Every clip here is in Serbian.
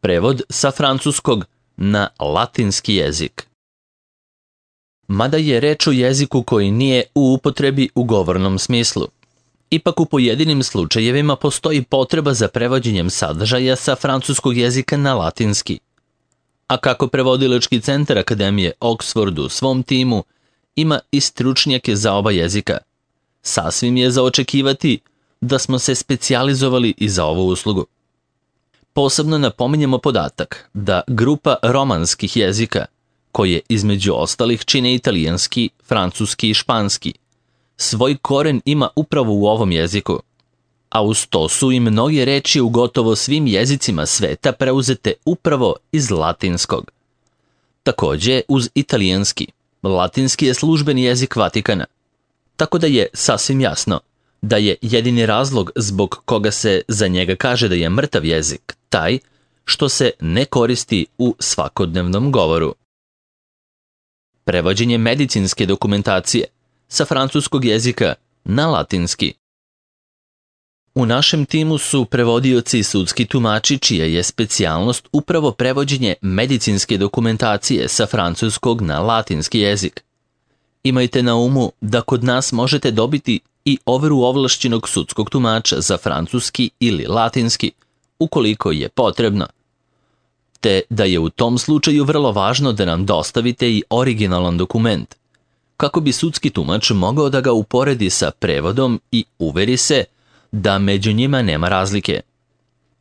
Prevod sa francuskog na latinski jezik. Mada je reč o jeziku koji nije u upotrebi u govornom smislu, ipak u pojedinim slučajevima postoji potreba za prevođenjem sadržaja sa francuskog jezika na latinski. A kako prevodilački centar Akademije Oxford u svom timu ima i stručnjake za oba jezika, sasvim je za očekivati da smo se specijalizovali i za ovu uslugu. Posebno napominjemo podatak da grupa romanskih jezika, koje između ostalih čine italijanski, francuski i španski, svoj koren ima upravo u ovom jeziku, a uz to su i mnoge reči u gotovo svim jezicima sveta preuzete upravo iz latinskog. Takođe, uz italijanski, latinski je službeni jezik Vatikana, tako da je sasvim jasno da je jedini razlog zbog koga se za njega kaže da je mrtav jezik taj što se ne koristi u svakodnevnom govoru. Prevođenje medicinske dokumentacije sa francuskog jezika na latinski. U našem timu su prevodioci i sudski tumači čija je specijalnost upravo prevođenje medicinske dokumentacije sa francuskog na latinski jezik. Imajte na umu da kod nas možete dobiti i overu ovlašćenog sudskog tumača za francuski ili latinski, ukoliko je potrebno, te da je u tom slučaju vrlo važno da nam dostavite i originalan dokument, kako bi sudski tumač mogao da ga uporedi sa prevodom i uveri se da među njima nema razlike.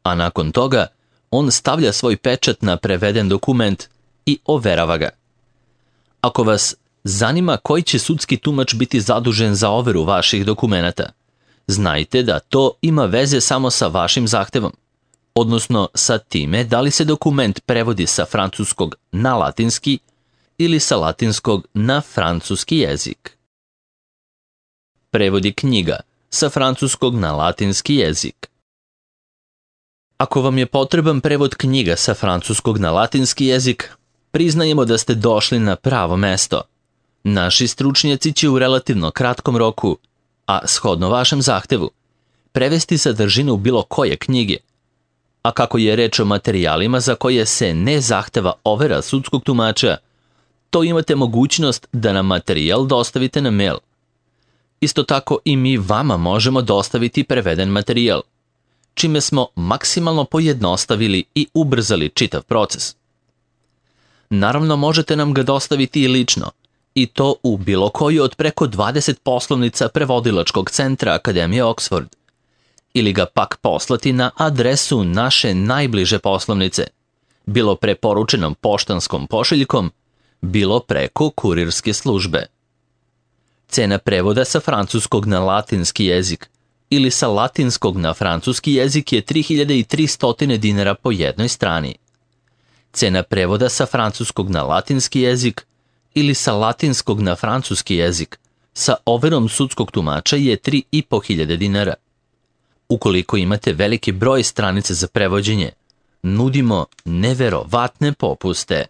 A nakon toga, on stavlja svoj pečat na preveden dokument i overava ga. Ako vas zanima koji će sudski tumač biti zadužen za overu vaših dokumenata, znajte da to ima veze samo sa vašim zahtevom, odnosno sa time da li se dokument prevodi sa francuskog na latinski ili sa latinskog na francuski jezik. Prevodi knjiga sa francuskog na latinski jezik. Ako vam je potreban prevod knjiga sa francuskog na latinski jezik, priznajemo da ste došli na pravo mesto. Naši stručnjaci će u relativno kratkom roku, a shodno vašem zahtevu, prevesti sadržinu bilo koje knjige. A kako je reč o materijalima za koje se ne zahteva overa sudskog tumača, to imate mogućnost da nam materijal dostavite na mail. Isto tako i mi vama možemo dostaviti preveden materijal, čime smo maksimalno pojednostavili i ubrzali čitav proces. Naravno, možete nam ga dostaviti i lično, i to u bilo koju od preko 20 poslovnica prevodilačkog centra Akademije Oxford, ili ga pak poslati na adresu naše najbliže poslovnice, bilo preporučenom poštanskom pošiljkom, bilo preko kurirske službe. Cena prevoda sa francuskog na latinski jezik ili sa latinskog na francuski jezik je 3300 dinara po jednoj strani. Cena prevoda sa francuskog na latinski jezik ili sa latinskog na francuski jezik sa overom sudskog tumača je 3500 dinara. Ukoliko imate veliki broj stranica za prevođenje, nudimo neverovatne popuste.